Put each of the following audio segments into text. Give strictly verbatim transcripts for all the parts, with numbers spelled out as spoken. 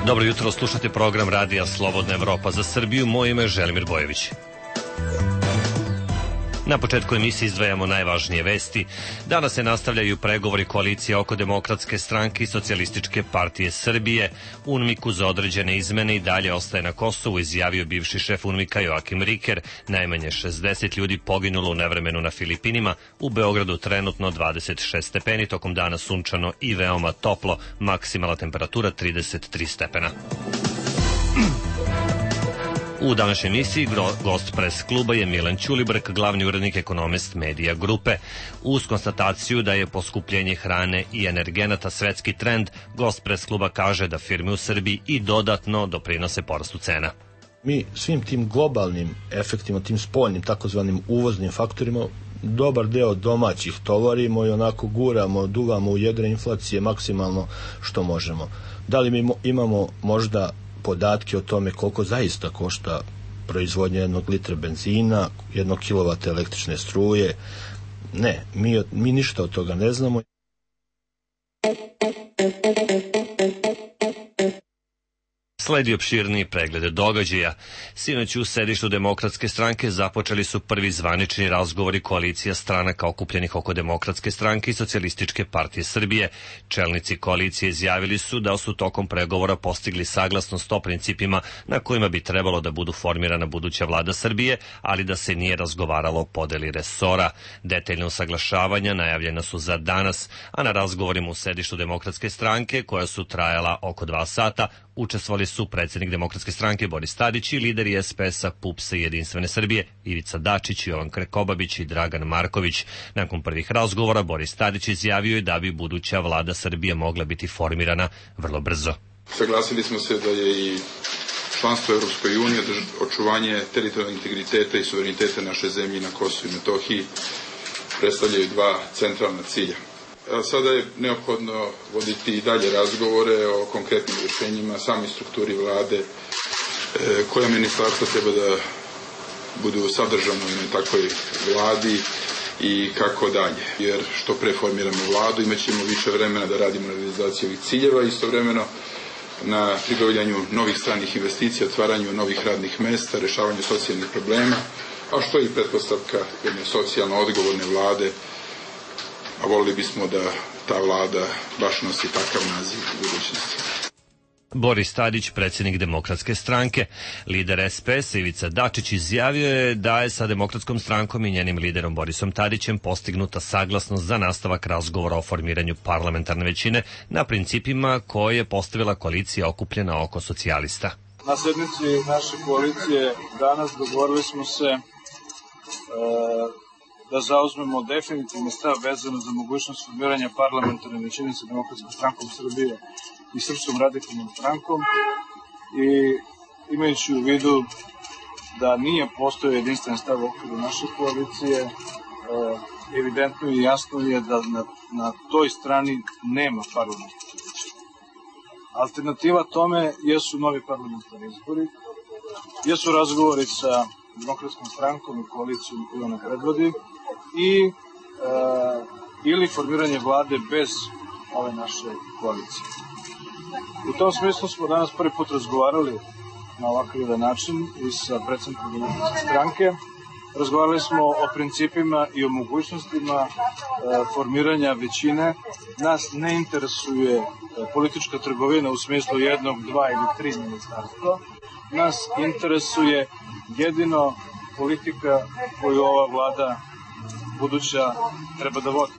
Dobro jutro, slušate program Radija Slobodna Evropa za Srbiju. Moje ime je Želimir Bojević. Na početku emisije izdvajamo najvažnije vesti. Danas se nastavljaju pregovori koalicije oko Demokratske stranke i Socijalističke partije Srbije. UNMIK-u za određene izmene i dalje ostaje na Kosovu, izjavio bivši šef UNMIK-a Joakim Riker. Najmanje šezdeset ljudi poginulo u nevremenu na Filipinima. U Beogradu trenutno dvadeset šest stepeni, tokom dana sunčano i veoma toplo, maksimalna temperatura trideset tri stepena. U današnjoj emisiji gost pres kluba je Milan Ćulibrk, glavni urednik Ekonomist Medija grupe. Uz konstataciju da je poskupljenje hrane i energenata svetski trend, gost pres kluba kaže da firme u Srbiji i dodatno doprinose porastu cena. Mi svim tim globalnim efektima, tim spoljnim takozvanim uvoznim faktorima, dobar deo domaćih tovarimo i onako guramo, duvamo u jedre inflacije maksimalno što možemo. Da li mi imamo možda podatke o tome koliko zaista košta proizvodnja jednog litra benzina, jednog kilovata električne struje? Ne, mi, mi ništa od toga ne znamo. Sledi opširniji pregled događaja. Sinoć u sedištu Demokratske stranke započeli su prvi zvanični razgovori koalicija stranaka okupljenih oko Demokratske stranke i Socijalističke partije Srbije. Čelnici koalicije izjavili su da su tokom pregovora postigli saglasnost o principima na kojima bi trebalo da budu formirana buduća vlada Srbije, ali da se nije razgovaralo o podeli resora. Detaljna usaglašavanja najavljena su za danas, a na razgovorima u sedištu Demokratske stranke, koja su trajala oko dva sata, učestvovali su predsjednik Demokratske stranke Boris Tadić i lideri es pe es-a, pupsa i Jedinstvene Srbije Ivica Dačić, Jovan Krkobabić i Dragan Marković. Nakon prvih razgovora Boris Tadić izjavio je da bi buduća vlada Srbije mogla biti formirana vrlo brzo. Saglasili smo se da je i članstvo Evropskoj uniji, očuvanje teritorijalnog integriteta i suvereniteta naše zemlje na Kosovu i Metohiji predstavljaju dva centralna cilja. Sada je neophodno voditi i dalje razgovore o konkretnim rješenjima, samoj strukturi vlade, koja ministarstva treba da budu sadržano na takvoj vladi i kako dalje. Jer što pre formiramo vladu, imat ćemo više vremena da radimo na realizaciji ovih ciljeva, istovremeno na pribavljanju novih stranih investicija, otvaranju novih radnih mesta, rešavanju socijalnih problema, a što je i pretpostavka jedne socijalno odgovorne vlade, a volili bismo da ta vlada baš nosi takav naziv u budućnosti. Boris Tadić, predsjednik Demokratske stranke. Lider es pe es-a Ivica Dačić izjavio je da je sa Demokratskom strankom i njenim liderom Borisom Tadićem postignuta saglasnost za nastavak razgovora o formiranju parlamentarne većine na principima koje je postavila koalicija okupljena oko socijalista. Na sednici naše koalicije danas dogovorili smo se e, da zauzmemo definitivni stav vezano za mogućnost formiranja parlamentarne većine sa Demokratskom strankom Srbije i Srpskom radikalnom strankom, i imajući u vidu da nije postojao jedinstven stav u okviru naše koalicije, evidentno i jasno je da na, na toj strani nema parlamentarne većine. Alternativa tome jesu novi parlamentarni izbori, jesu razgovori sa Demokratskom strankom i koalicijom koju ona predvodi, i e, ili formiranje vlade bez ove naše koalicije. U tom smislu smo danas prvi put razgovarali na ovakav jedan način i sa predsjednikom Demokratske stranke. Razgovarali smo o principima i o mogućnostima e, formiranja većine. Nas ne interesuje e, politička trgovina u smislu jednog, dva ili tri ministarstva. Nas interesuje jedino politika koju ova vlada buduća treba da vodi.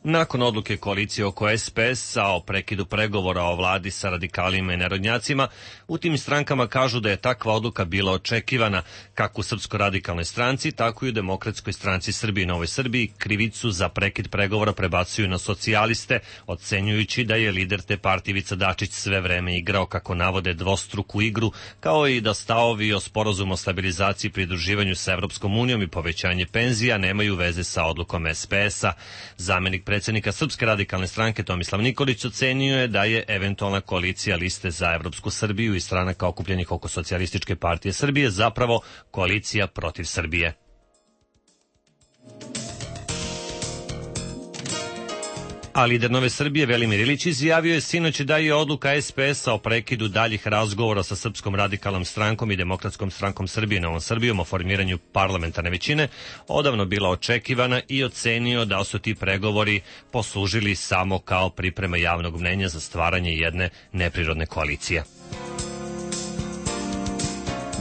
Nakon odluke koalicije oko es pe es-a o prekidu pregovora o vladi sa radikalima i narodnjacima, u tim strankama kažu da je takva odluka bila očekivana, kako u Srpsko-radikalnoj stranci, tako i u Demokratskoj stranci Srbije i Novoj Srbiji. Krivicu za prekid pregovora prebacuju na socijaliste, ocenjujući da je lider te partije Ivica Dačić sve vreme igrao, kako navode, dvostruku igru, kao i da stavovi o sporazumu o stabilizaciji i pridruživanju sa Evropskom unijom i povećanje penzija nemaju veze sa odlukom es pe es-a. Zamenik predsjednika Srpske radikalne stranke Tomislav Nikolić ocenio je da je eventualna koalicija Liste za Evropsku Srbiju i stranaka okupljenih oko Socijalističke partije Srbije zapravo koalicija protiv Srbije. A lider Nove Srbije Velimir Ilić izjavio je sinoć da je odluka es pe es a o prekidu daljih razgovora sa Srpskom radikalnom strankom i Demokratskom strankom Srbije Novom Srbijom o formiranju parlamentarne većine odavno bila očekivana i ocenio da su ti pregovori poslužili samo kao priprema javnog mnenja za stvaranje jedne neprirodne koalicije.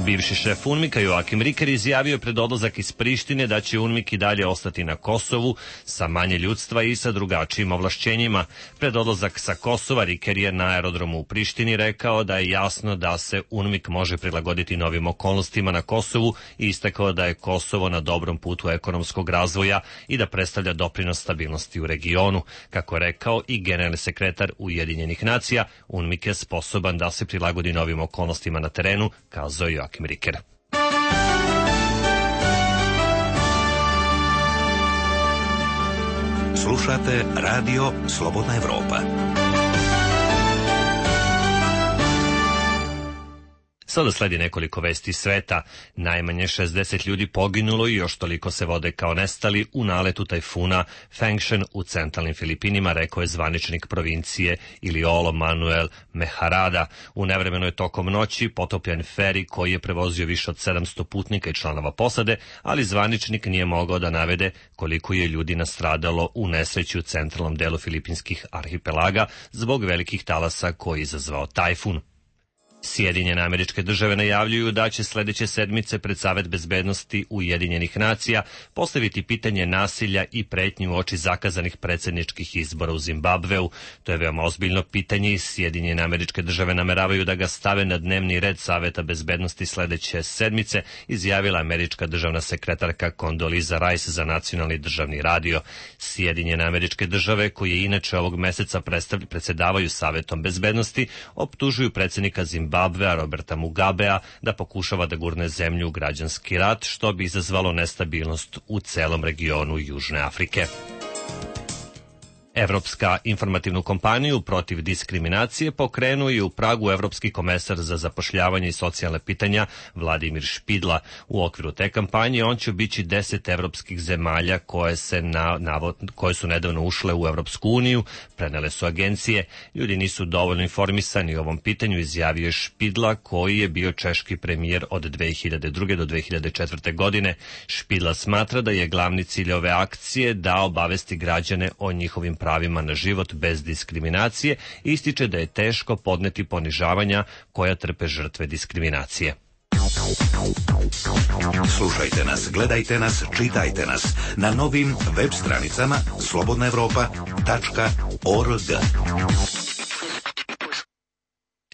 Bivši šef UNMIK-a Joakim Riker izjavio je pred odlazak iz Prištine da će UNMIK i dalje ostati na Kosovu sa manje ljudstva i sa drugačijim ovlašćenjima. Pred odlazak sa Kosova Riker je na aerodromu u Prištini rekao da je jasno da se UNMIK može prilagoditi novim okolnostima na Kosovu i istakao da je Kosovo na dobrom putu ekonomskog razvoja i da predstavlja doprinos stabilnosti u regionu. Kako je rekao i generalni sekretar Ujedinjenih nacija, UNMIK je sposoban da se prilagodi novim okolnostima na terenu, kazao je Joakim Riker. Slušate radio Slobodna Evropa. Sada sledi nekoliko vesti sveta. Najmanje šezdeset ljudi poginulo i još toliko se vode kao nestali u naletu tajfuna Fengshen u centralnim Filipinima, rekao je zvaničnik provincije Iliolo Manuel Meharada. U nevremeno je tokom noći potopljen feri koji je prevozio više od sedamsto putnika i članova posade, ali zvaničnik nije mogao da navede koliko je ljudi nastradalo u nesreći u centralnom delu filipinskih arhipelaga zbog velikih talasa koji je izazvao tajfun. Sjedinjene Američke Države najavljuju da će sledeće sedmice pred Savet bezbednosti Ujedinjenih nacija postaviti pitanje nasilja i pretnju u oči zakazanih predsjedničkih izbora u Zimbabveu. To je veoma ozbiljno pitanje i Sjedinjene Američke Države nameravaju da ga stave na dnevni red Saveta bezbednosti sledeće sedmice, izjavila američka državna sekretarka Condoleezza Rice za nacionalni državni radio. Sjedinjene Američke Države, koje inače ovog meseca predsedavaju Savetom bezbednosti, optužuju predsjednika Zimbabvea Zimbabvea Roberta Mugabea da pokušava da gurne zemlju u građanski rat, što bi izazvalo nestabilnost u celom regionu Južne Afrike. Evropska informativnu kompaniju protiv diskriminacije pokrenuo je u Pragu evropski komesar za zapošljavanje i socijalne pitanja Vladimir Špidla. U okviru te kampanje on će obići deset evropskih zemalja koje, se na, navod, koje su nedavno ušle u Evropsku uniju, prenele su agencije. Ljudi nisu dovoljno informisani o ovom pitanju, izjavio je Špidla, koji je bio češki premijer od dve hiljade druge do dve hiljade četvrte godine. Špidla smatra da je glavni cilj ove akcije da obavesti građane o njihovim pravima na život bez diskriminacije i ističe da je teško podneti ponižavanja koja trpe žrtve diskriminacije. Slušajte nas, gledajte nas, čitajte nas na novim web stranicama slobodna evropa tačka org.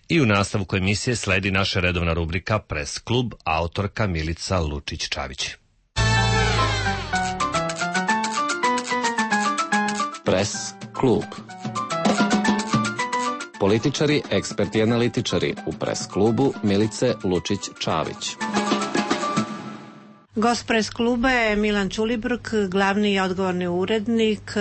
I u nastavku emisije sledi naša redovna rubrika Press klub, autorka Milica Lučić-Čavić. Press klub. Političari, eksperti i analitičari u Press klubu Milice Lučić-Čavić. Gost Press kluba je Milan Ćulibrk, glavni i odgovorni urednik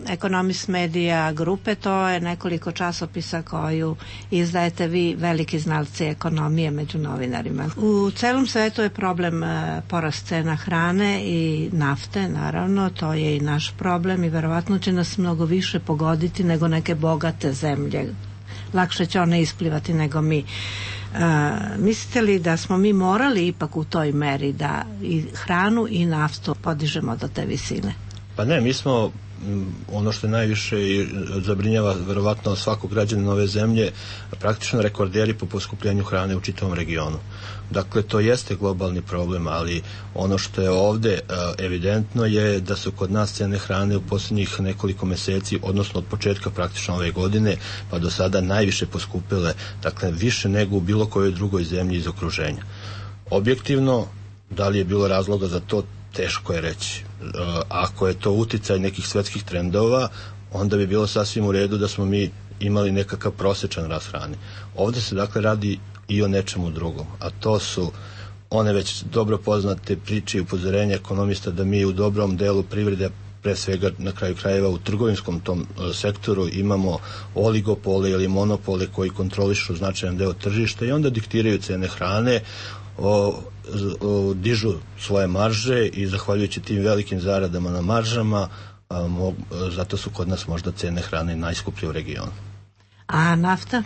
Ekonomist Medija grupe. To je nekoliko časopisa koju izdajete vi, veliki znalci ekonomije među novinarima. U celom svetu je problem porast cena hrane i nafte, naravno, to je i naš problem i verovatno će nas mnogo više pogoditi nego neke bogate zemlje. Lakše će one isplivati nego mi. Uh, mislite li da smo mi morali ipak u toj meri da i hranu i naftu podižemo do te visine? Pa ne, mi smo ono što je najviše i zabrinjava verovatno svakog građanina ove zemlje, praktično rekorderi po poskupljenju hrane u čitavom regionu. Dakle, to jeste globalni problem, ali ono što je ovde evidentno je da su kod nas cene hrane u posljednjih nekoliko meseci, odnosno od početka praktično ove godine, pa do sada najviše poskupile, dakle više nego u bilo kojoj drugoj zemlji iz okruženja. Objektivno, da li je bilo razloga za to, teško je reći. Ako je to uticaj nekih svetskih trendova, onda bi bilo sasvim u redu da smo mi imali nekakav prosečan rast hrane. Ovde se dakle radi i o nečemu drugom, a to su one već dobro poznate priče i upozorenja ekonomista da mi u dobrom delu privrede, pre svega na kraju krajeva u trgovinskom tom sektoru, imamo oligopole ili monopole koji kontrolišu značajan deo tržišta i onda diktiraju cene hrane, o, o, dižu svoje marže i zahvaljujući tim velikim zaradama na maržama a, mo, zato su kod nas možda cene hrane najskuplje u regionu. A nafta?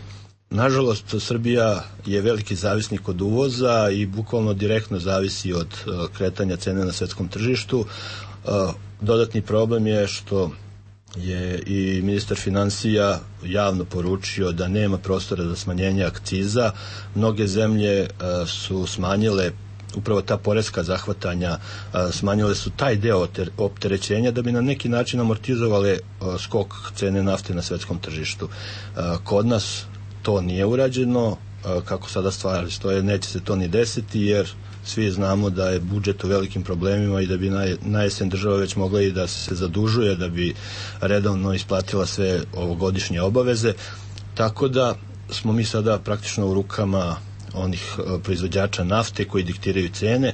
Nažalost, Srbija je veliki zavisnik od uvoza i bukvalno direktno zavisi od uh, kretanja cene na svetskom tržištu. Uh, dodatni problem je što je i ministar finansija javno poručio da nema prostora za smanjenje akciza. Mnoge zemlje uh, su smanjile upravo ta poreska zahvatanja, uh, smanjile su taj deo opterećenja da bi na neki način amortizovale uh, skok cene nafte na svetskom tržištu. Uh, kod nas to nije urađeno, kako sada stvari stoje, neće se to ni desiti, jer svi znamo da je budžet u velikim problemima i da bi na, na jesen država već mogla i da se zadužuje, da bi redovno isplatila sve ovogodišnje obaveze, tako da smo mi sada praktično u rukama onih proizvođača nafte koji diktiraju cene,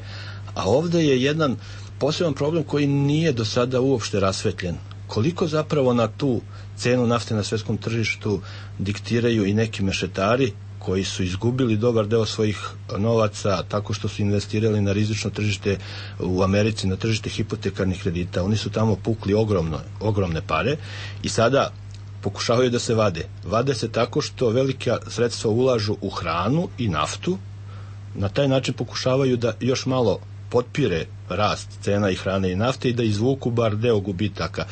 a ovde je jedan poseban problem koji nije do sada uopšte rasvetljen. Koliko zapravo na tu cenu nafte na svetskom tržištu diktiraju i neki mešetari koji su izgubili dobar deo svojih novaca tako što su investirali na rizično tržište u Americi, na tržište hipotekarnih kredita. Oni su tamo pukli ogromno, ogromne pare i sada pokušavaju da se vade. Vade se tako što velika sredstva ulažu u hranu i naftu. Na taj način pokušavaju da još malo potpire rast cena i hrane i nafte i da izvuku bar deo gubitaka.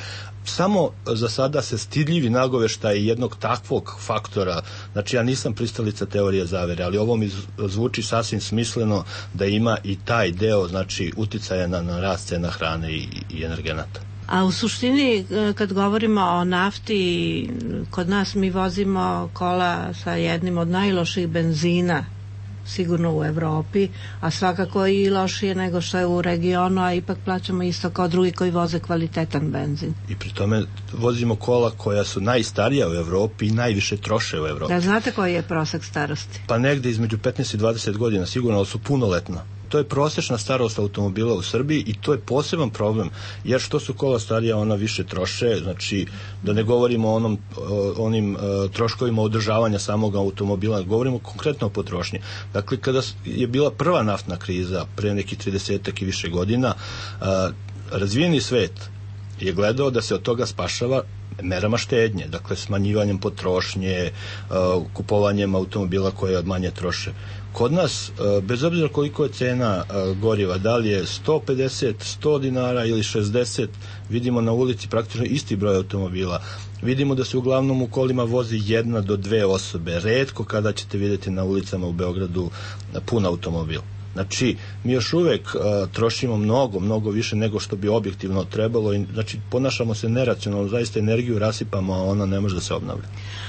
Samo za sada se stidljivi nagoveštaj jednog takvog faktora, znači ja nisam pristalica teorije zavere, ali ovo mi zvuči sasvim smisleno da ima i taj deo, znači uticaja na, na rast cena hrane i, i energenata. A u suštini, kad govorimo o nafti, kod nas mi vozimo kola sa jednim od najloših benzina sigurno u Evropi, a svakako i lošije nego što je u regionu, a ipak plaćamo isto kao drugi koji voze kvalitetan benzin. I pri tome vozimo kola koja su najstarija u Evropi i najviše troše u Evropi. Da, znate koji je prosek starosti? Pa negde između petnaest i dvadeset godina sigurno, ali su punoletna. To je prosečna starost automobila u Srbiji i to je poseban problem, jer što su kola starija, ona više troše, znači da ne govorimo o onom, o onim o, troškovima održavanja samog automobila, govorimo konkretno o potrošnji. Dakle, kada je bila prva naftna kriza pre nekih tridesetak i više godina, a, razvijeni svet je gledao da se od toga spašava merama štednje, dakle smanjivanjem potrošnje, a, kupovanjem automobila koje manje troše. Kod nas, bez obzira koliko je cena goriva, da li je sto pedeset, sto dinara ili šezdeset, vidimo na ulici praktično isti broj automobila. Vidimo da se uglavnom u kolima vozi jedna do dve osobe. Retko kada ćete vidjeti na ulicama u Beogradu pun automobil. Znači, mi još uvek a, trošimo mnogo, mnogo više nego što bi objektivno trebalo i znači ponašamo se neracionalno, zaista energiju rasipamo, a ona ne može da se obnavlja.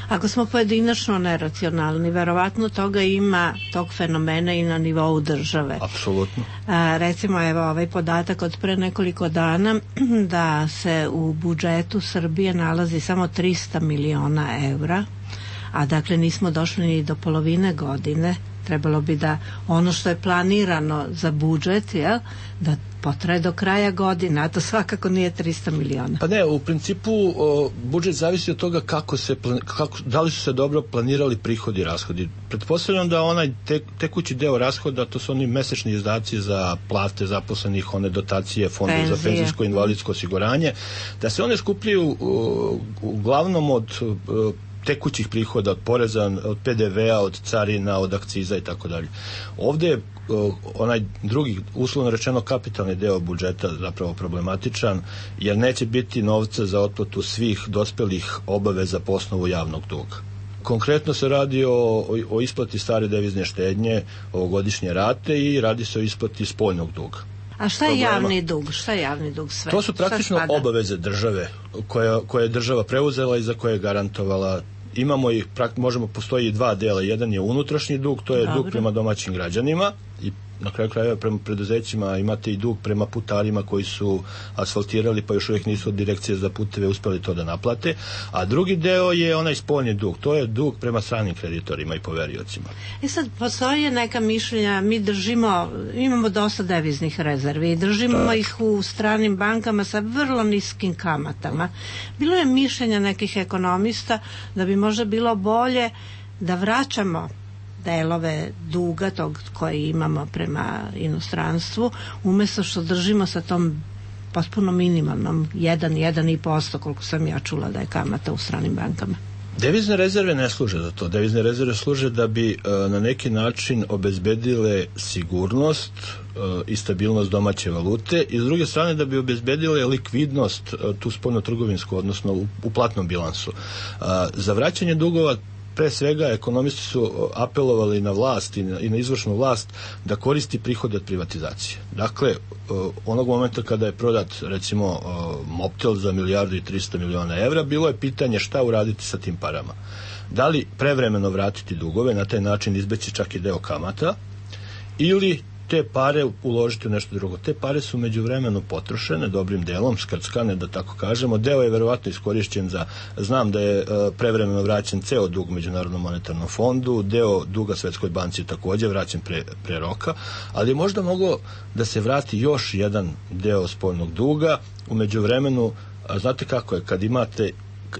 Ako smo pojedinačno neracionalni, verovatno toga ima, tog fenomena i na nivou države. Apsolutno. A, recimo, evo ovaj podatak od pre nekoliko dana da se u budžetu Srbije nalazi samo trista miliona evra, a dakle nismo došli ni do polovine godine. Trebalo bi da ono što je planirano za budžet, jel, da potraje do kraja godine, a to svakako nije trista miliona. Pa ne, u principu o, budžet zavisi od toga kako se, kako, da li su se dobro planirali prihodi i rashodi. Pretpostavljam da onaj te, tekući deo rashoda, to su oni mesečni izdaci za plate zaposlenih, one dotacije fondu Penzije. za penzijsko i invalidsko osiguranje, da se one skupljaju o, uglavnom od o, tekućih prihoda, od poreza, od pe de ve a, od carina, od akciza i tako dalje. Ovde je onaj drugi, uslovno rečeno kapitalni deo budžeta zapravo problematičan, jer neće biti novca za otplatu svih dospelih obaveza po osnovu javnog duga. Konkretno se radi o, o, o isplati stare devizne štednje, ovogodišnje rate i radi se o isplati spoljnog duga. A šta je problema. javni dug? Šta je javni dug sve? To su praktično obaveze države koje, koje je država preuzela i za koje je garantovala. Imamo ih, možemo, postoji dva dela. Jedan je unutrašnji dug, to je Dobre. dug prema domaćim građanima i na kraju krajeva prema preduzećima. Imate i dug prema putarima koji su asfaltirali pa još uvijek nisu od direkcije za puteve uspeli to da naplate, a drugi deo je onaj spoljni dug, to je dug prema stranim kreditorima i poveriocima. I sad postoje neka mišljenja, mi držimo, imamo dosta deviznih rezervi i držimo da. ih u stranim bankama sa vrlo niskim kamatama. Bilo je mišljenja nekih ekonomista da bi možda bilo bolje da vraćamo delove duga tog koji imamo prema inostranstvu, umjesto što držimo sa tom potpuno minimalnom, jedan, jedan i posto koliko sam ja čula da je kamata u stranim bankama. Devizne rezerve ne služe za to. Devizne rezerve služe da bi e, na neki način obezbedile sigurnost e, i stabilnost domaće valute i s druge strane da bi obezbedile likvidnost e, tu spoljno-trgovinsku, odnosno u, u platnom bilansu. E, za vraćanje dugova pre svega ekonomisti su apelovali na vlast i na, i na izvršnu vlast da koristi prihode od privatizacije. Dakle, onog momenta kada je prodat recimo Mobtel za milijardu i trista miliona evra, bilo je pitanje šta uraditi sa tim parama. Da li prevremeno vratiti dugove, na taj način izbeći čak i deo kamata, ili te pare uložiti u nešto drugo. Te pare su međuvremeno potrošene dobrim delom, skrckane da tako kažemo. Deo je verovatno iskorišćen za, znam da je uh, prevremeno vraćen ceo dug Međunarodnom monetarnom fondu, deo duga Svetskoj banci takođe vraćen pre, pre roka, ali je možda moglo da se vrati još jedan deo spoljnog duga. U međuvremenu, a znate kako je, kad imate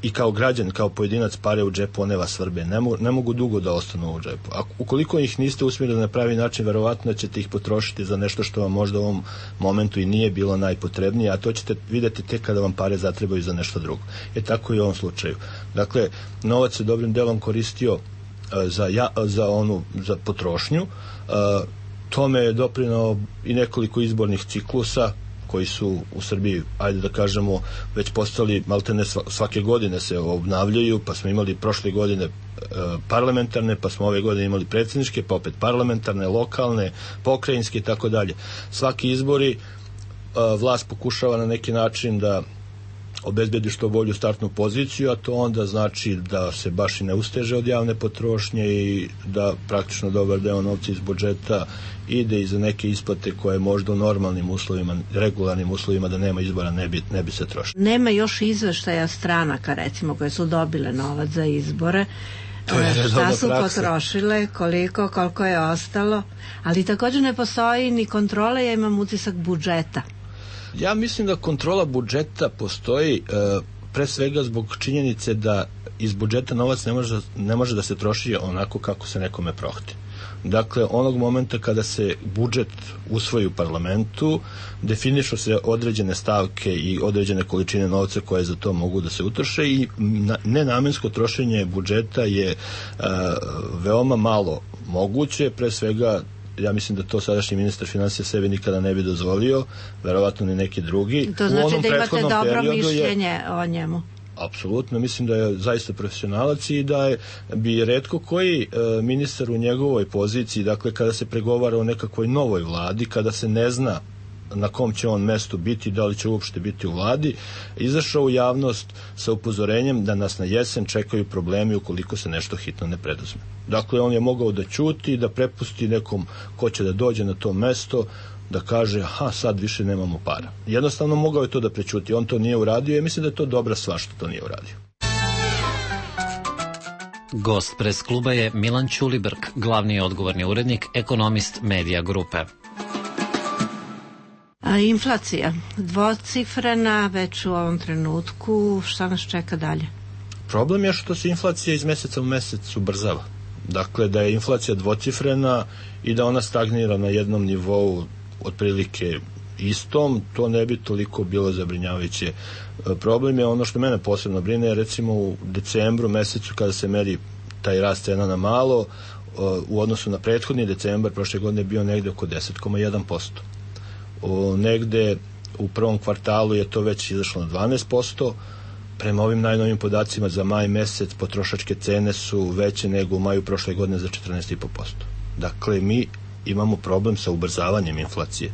i kao građan, kao pojedinac pare u džepu, one vas svrbe, ne, mo, ne mogu dugo da ostanu u džepu. A ukoliko ih niste usmjerili na pravi način, verovatno ćete ih potrošiti za nešto što vam možda u ovom momentu i nije bilo najpotrebnije, a to ćete vidjeti tek kada vam pare zatrebaju za nešto drugo. Je tako i u ovom slučaju. Dakle, novac se dobrim delom koristio uh, za, ja, za onu za potrošnju. Uh, tome je doprinao i nekoliko izbornih ciklusa koji su u Srbiji, ajde da kažemo, već postali maltene svake godine se obnavljaju, pa smo imali prošle godine e, parlamentarne, pa smo ove godine imali predsjedničke, pa opet parlamentarne, lokalne, pokrajinske i tako dalje. Svaki izbori e, vlast pokušava na neki način da obezbedi što bolju startnu poziciju, a to onda znači da se baš i ne usteže od javne potrošnje i da praktično dobar deo novca iz budžeta ide i za neke isplate koje možda u normalnim uslovima, regularnim uslovima da nema izbora ne bi, ne bi se trošilo. Nema još izveštaja stranaka recimo koje su dobile novac za izbore. To je šta su praksa. Potrošile, koliko, koliko je ostalo, ali također ne postoji ni kontrola, ja imam utisak budžeta. Ja mislim da kontrola budžeta postoji e, pre svega zbog činjenice da iz budžeta novac ne može, ne može da se troši onako kako se nekome prohti. Dakle, onog momenta kada se budžet usvoji u parlamentu, definišu se određene stavke i određene količine novca koje za to mogu da se utroše i na, nenamensko trošenje budžeta je e, veoma malo moguće, pre svega ja mislim da to sadašnji ministar finansija sebi nikada ne bi dozvolio, verovatno ni neki drugi. To znači da imate dobro mišljenje je, o njemu. Apsolutno, mislim da je zaista profesionalac i da je, bi retko koji e, ministar u njegovoj poziciji, dakle kada se pregovara o nekakvoj novoj vladi, kada se ne zna na kom će on mestu biti, da li će uopšte biti u vladi, izašao u javnost sa upozorenjem da nas na jesen čekaju problemi ukoliko se nešto hitno ne preduzme. Dakle, on je mogao da ćuti, da prepusti nekom ko će da dođe na to mesto, da kaže, aha, sad više nemamo para. Jednostavno mogao je to da prećuti, on to nije uradio i mislim da je to dobra stvar što to nije uradio. Gost pres kluba je Milan Ćulibrk, glavni odgovorni urednik, ekonomist Medija grupe. A inflacija, dvocifrena već u ovom trenutku, šta nas čeka dalje? Problem je što se inflacija iz meseca u mesec ubrzava. Dakle, da je inflacija dvocifrena i da ona stagnira na jednom nivou otprilike istom, to ne bi toliko bilo zabrinjavajuće. Problem je ono što mene posebno brine, recimo u decembru mesecu kada se meri taj rast cena na malo, u odnosu na prethodni decembar prošle godine bio negde oko deset zarez jedan posto. O, negde u prvom kvartalu je to već izašlo na dvanaest posto. Prema ovim najnovim podacima za maj mesec potrošačke cene su veće nego u maju prošle godine za četrnaest zarez pet posto. Dakle, mi imamo problem sa ubrzavanjem inflacije.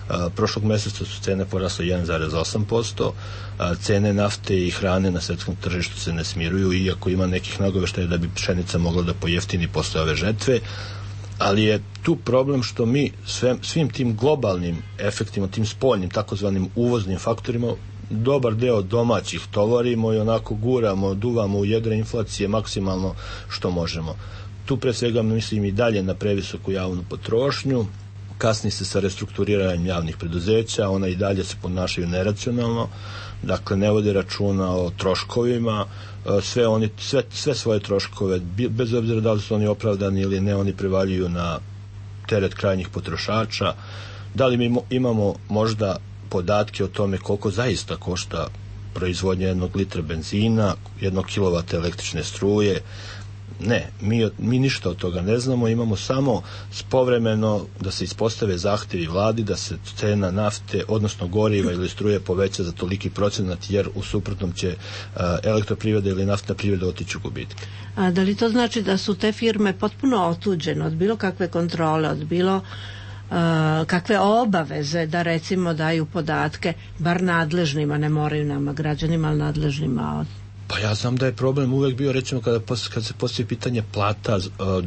A, prošlog meseca su cene porasle jedan zarez osam posto, a, cene nafte i hrane na svetskom tržištu se ne smiruju, iako ima nekih nagoveštaja da bi pšenica mogla da pojeftini posle ove žetve, ali je tu problem što mi sve, svim tim globalnim efektima, tim spoljnim, takozvanim uvoznim faktorima, dobar deo domaćih tovarimo i onako guramo, duvamo u jedre inflacije maksimalno što možemo. Tu pre svega mislim i dalje na previsoku javnu potrošnju, kasni se sa restrukturiranjem javnih preduzeća, ona i dalje se ponašaju neracionalno, dakle ne vode računa o troškovima, sve, oni, sve, sve svoje troškove, bez obzira da li su oni opravdani ili ne, oni prevaljuju na teret krajnjih potrošača. Da li mi imamo možda podatke o tome koliko zaista košta proizvodnja jednog litra benzina, jednog kilovata električne struje. Ne, mi, mi ništa od toga ne znamo, imamo samo povremeno da se ispostave zahtevi vladi da se cena nafte, odnosno goriva ili struje poveća za toliki procenat, jer u suprotnom će a, elektroprivreda ili naftna privreda otići u gubitke. A da li to znači da su te firme potpuno otuđene od bilo kakve kontrole, od bilo uh, kakve obaveze da recimo daju podatke, bar nadležnima, ne moraju nama građanima, ali nadležnima od... Pa ja znam da je problem uvek bio, recimo kada, kada se postoji pitanje plata uh,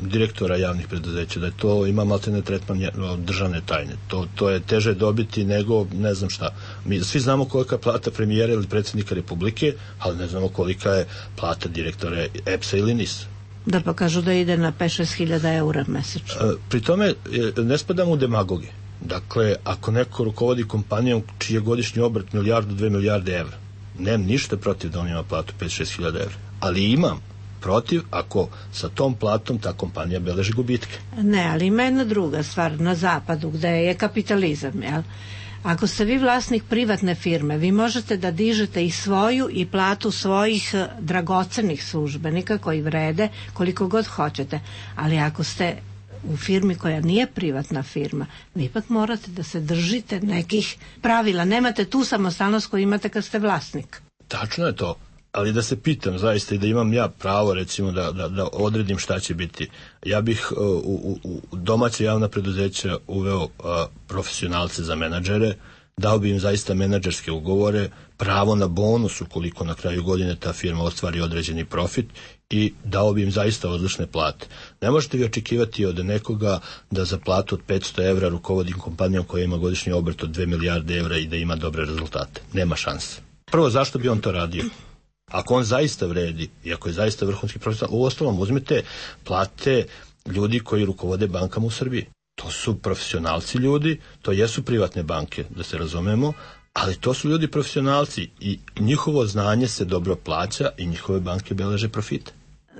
direktora javnih preduzeća, da je to ima maltene tretman državne tajne. To, to je teže dobiti nego ne znam šta. Mi svi znamo kolika je plata premijera ili predsjednika Republike, ali ne znamo kolika je plata direktora E P S-a ili N I S-a. Da, pa kažu da ide na pet do šest hiljada eura mesečno. Uh, pri tome ne spadamo u demagoge. Dakle, ako neko rukovodi kompanijom čiji je godišnji obrt milijardu, dve milijarde evra, nemam ništa protiv da on ima platu pet do šest hiljada evra, ali imam protiv ako sa tom platom ta kompanija beleži gubitke. Ne, ali ima jedna druga stvar na zapadu gde je kapitalizam, jel? Ako ste vi vlasnik privatne firme, vi možete da dižete i svoju i platu svojih dragocenih službenika koji vrede koliko god hoćete, ali ako ste u firmi koja nije privatna firma, vi ipak morate da se držite nekih pravila. Nemate tu samostalnost koju imate kad ste vlasnik. Tačno je to, ali da se pitam zaista i da imam ja pravo recimo da, da, da odredim šta će biti. Ja bih uh, u, u domaće javna preduzeća uveo uh, profesionalce za menadžere, dao bi im zaista menadžerske ugovore, pravo na bonus ukoliko na kraju godine ta firma ostvari određeni profit i dao bi im zaista odlične plate. Ne možete vi očekivati od nekoga da za platu od petsto evra rukovodi kompanijom koja ima godišnji obrt od dve milijarde evra i da ima dobre rezultate. Nema šanse. Prvo, zašto bi on to radio? Ako on zaista vredi i ako je zaista vrhunski profesional, uostalom uzmite plate ljudi koji rukovode bankama u Srbiji. To su profesionalci ljudi, to jesu privatne banke, da se razumemo, ali to su ljudi profesionalci i njihovo znanje se dobro plaća i njihove banke beleže profite.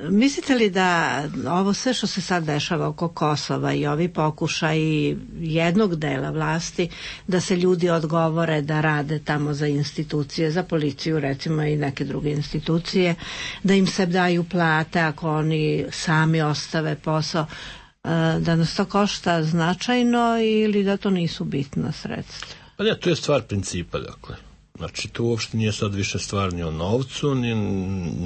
Mislite li da ovo sve što se sad dešava oko Kosova i ovi pokušaji jednog dela vlasti da se ljudi odgovore da rade tamo za institucije, za policiju recimo i neke druge institucije, da im se daju plate ako oni sami ostave posao, da nas to košta značajno ili da to nisu bitna sredstva? Pa ne, to je stvar principa, dakle. Znači, to uopšte nije sad više stvar ni o novcu, ni,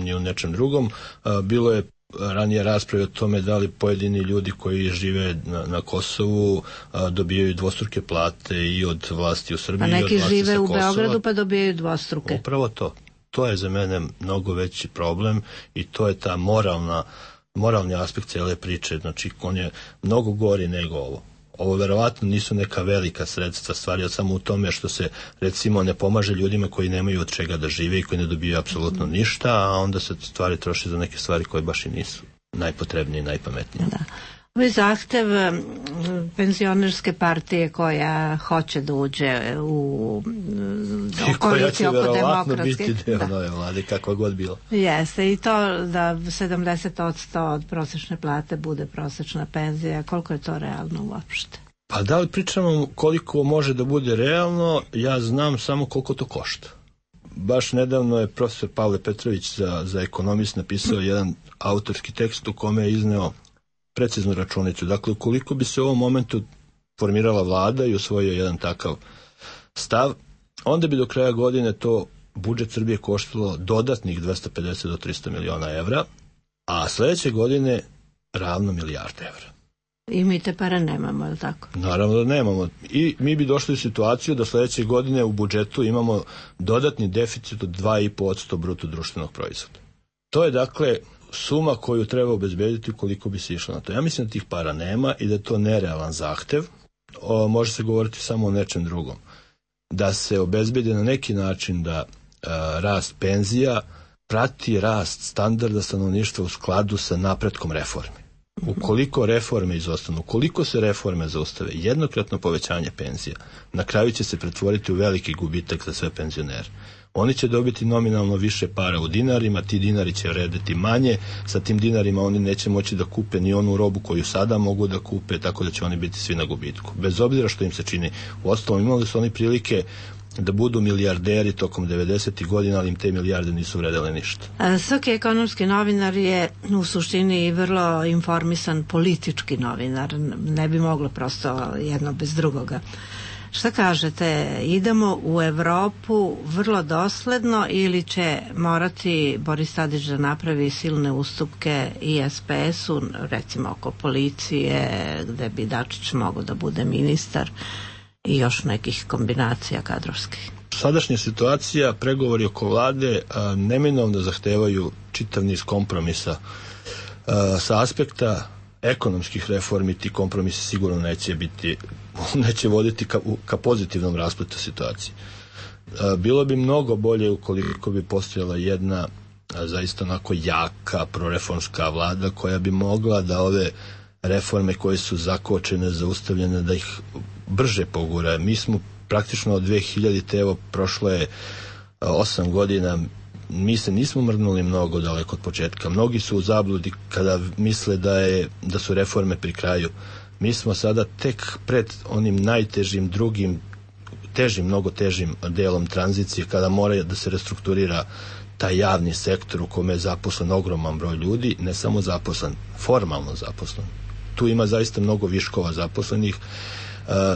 ni o nečem drugom. A, bilo je ranije rasprave o tome da li pojedini ljudi koji žive na, na Kosovu a, dobijaju dvostruke plate i od vlasti u Srbiji. Pa neki i od vlasti žive sa u Kosova. Beogradu pa dobijaju dvostruke. Upravo to. To je za mene mnogo veći problem i to je ta moralna moralni aspekt cijele priče, znači on je mnogo gori nego ovo. Ovo verovatno nisu neka velika sredstva, stvar je samo u tome što se recimo ne pomaže ljudima koji nemaju od čega da žive i koji ne dobiju apsolutno ništa, a onda se stvari troše za neke stvari koje baš i nisu najpotrebnije i najpametnije. Da. Ovaj zahtev penzionerske partije koja hoće da uđe u koaliciju oko demokratske. Koja će biti deo nove vlade, kakva god bila. Jeste, i to da sedamdeset posto od prosečne plate bude prosečna penzija, koliko je to realno uopšte? Pa da li pričamo koliko može da bude realno, ja znam samo koliko to košta. Baš nedavno je profesor Pavle Petrović za, za ekonomist napisao jedan autorski tekst u kome je izneo preciznu računicu. Dakle, ukoliko bi se u ovom momentu formirala vlada i usvojio jedan takav stav, onda bi do kraja godine to budžet Srbije koštalo dodatnih dvesta pedeset do trista miliona evra, a sledeće godine ravno milijarde evra. I mi te pare nemamo, je li tako? Naravno da nemamo. I mi bi došli u situaciju da sledeće godine u budžetu imamo dodatni deficit od dva i po posto bruto društvenog proizvoda. To je dakle suma koju treba obezbediti ukoliko bi se išlo na to. Ja mislim da tih para nema i da je to nerealan zahtev. O, može se govoriti samo o nečem drugom. Da se obezbedi na neki način da a, rast penzija prati rast standarda stanovništva u skladu sa napretkom reformi. Ukoliko reforme izostanu, ukoliko se reforme zaustave, jednokratno povećanje penzija, na kraju će se pretvoriti u veliki gubitak za sve penzionere. Oni će dobiti nominalno više para u dinarima, ti dinari će vredeti manje, sa tim dinarima oni neće moći da kupe ni onu robu koju sada mogu da kupe, tako da će oni biti svi na gubitku. Bez obzira što im se čini. Uostalom, imali su oni prilike da budu milijarderi tokom devedesetih godina, ali im te milijarde nisu vredele ništa. Svaki ekonomski novinar je u suštini vrlo informisan politički novinar. Ne bi moglo prosto jedno bez drugoga. Šta kažete, idemo u Evropu vrlo dosledno ili će morati Boris Tadić da napravi silne ustupke i S P S-u, recimo oko policije, gde bi Dačić mogao da bude ministar i još nekih kombinacija kadrovskih? Sadašnja situacija, pregovori oko vlade a, neminovno zahtevaju čitav niz kompromisa. A, sa aspekta ekonomskih reformi ti kompromisi sigurno neće biti, neće voditi ka, ka pozitivnom raspletu situacije. A, bilo bi mnogo bolje ukoliko bi postojala jedna a, zaista onako jaka proreformska vlada koja bi mogla da ove reforme koje su zakočene, zaustavljene, da ih brže pogura. Mi smo praktično od dve hiljadite, evo prošlo je osam godina, mi se nismo mrnuli mnogo daleko od početka. Mnogi su u zabludi kada misle da, je, da su reforme pri kraju. Mi smo sada tek pred onim najtežim drugim, težim, mnogo težim delom tranzicije, kada mora da se restrukturira taj javni sektor u kome je zaposlen ogroman broj ljudi, ne samo zaposlen, formalno zaposlen. Tu ima zaista mnogo viškova zaposlenih.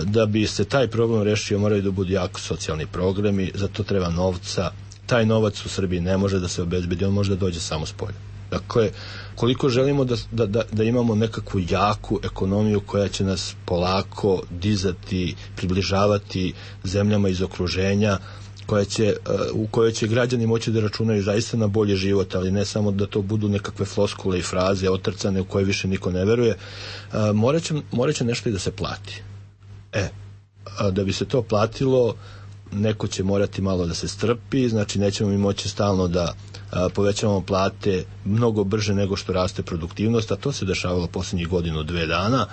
Da bi se taj problem rešio, moraju da budu jako socijalni programi, za to treba novca. Taj novac u Srbiji ne može da se obezbedi, on može da dođe samo s polja. Dakle, koliko želimo da, da, da, da imamo nekakvu jaku ekonomiju koja će nas polako dizati, približavati zemljama iz okruženja, koja će, u kojoj će građani moći da računaju zaista na bolji život, ali ne samo da to budu nekakve floskule i fraze otrcane u koje više niko ne veruje. Morat će, morat će nešto i da se plati. E, da bi se to platilo, neko će morati malo da se strpi, znači nećemo mi moći stalno da a, povećavamo plate mnogo brže nego što raste produktivnost, a to se dešavalo posljednjih godinu, dve dana,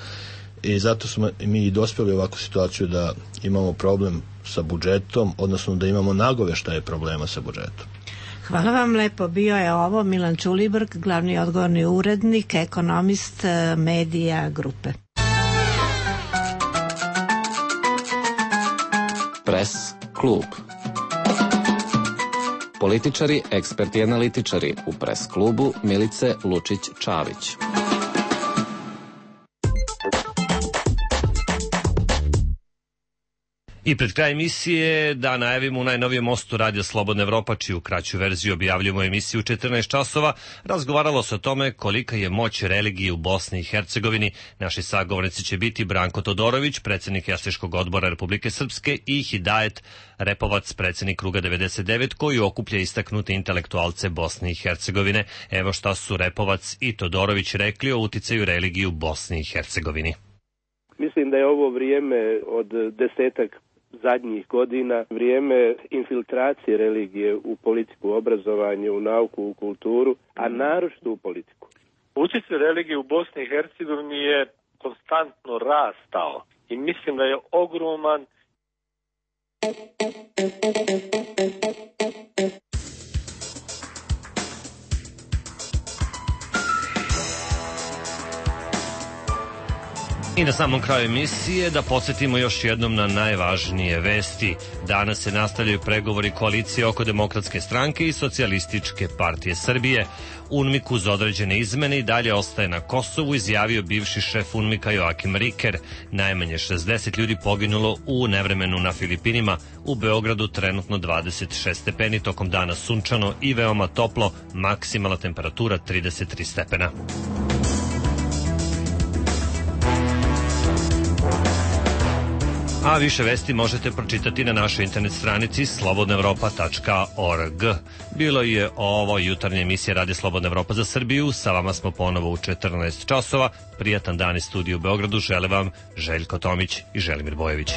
i zato smo mi i dospjeli u ovakvu situaciju da imamo problem sa budžetom, odnosno da imamo nagoveštaje problema sa budžetom. Hvala vam lepo. Bio je ovo Milan Ćulibrk, glavni odgovorni urednik, ekonomist Medija grupe. Pres klub. Političari, eksperti i analitičari u Pres klubu Milice Lučić-Čavić. I pred kraj emisije da najavimo u najnovijem mostu Radija Slobodna Evropa, čiju kraću verziju objavljujemo emisiju u četrnaest časova, razgovaralo se o tome kolika je moć religije u Bosni i Hercegovini. Naši sagovornici će biti Branko Todorović, predsjednik Jastriškog odbora Republike Srpske, i Hidajet Repovac, predsjednik Kruga devedeset devet, koji okuplja istaknute intelektualce Bosne i Hercegovine. Evo šta su Repovac i Todorović rekli o uticaju religije u Bosni i Hercegovini. Mislim da je ovo vrijeme od desetak zadnjih godina vrijeme infiltracije religije u politiku, u obrazovanje, u nauku, u kulturu, a naročito u politiku. Utjecaj religije u Bosni i Hercegovini je konstantno rastao i mislim da je ogroman. I na samom kraju emisije da podsjetimo još jednom na najvažnije vesti. Danas se nastavljaju pregovori koalicije oko Demokratske stranke i Socijalističke partije Srbije. UNMIK uz određene izmene i dalje ostaje na Kosovu, izjavio bivši šef UNMIK-a Joakim Riker. Najmanje šezdeset ljudi poginulo u nevremenu na Filipinima. U Beogradu trenutno dvadeset šest stepeni, tokom dana sunčano i veoma toplo, maksimalna temperatura trideset tri stepena. A više vesti možete pročitati na našoj internet stranici slobodna evropa tačka org. Bilo je ovo jutarnja emisija Radija Slobodna Evropa za Srbiju. Sa vama smo ponovo u četrnaest časova. Prijatan dan iz studiju u Beogradu žele vam Željko Tomić i Želimir Bojević.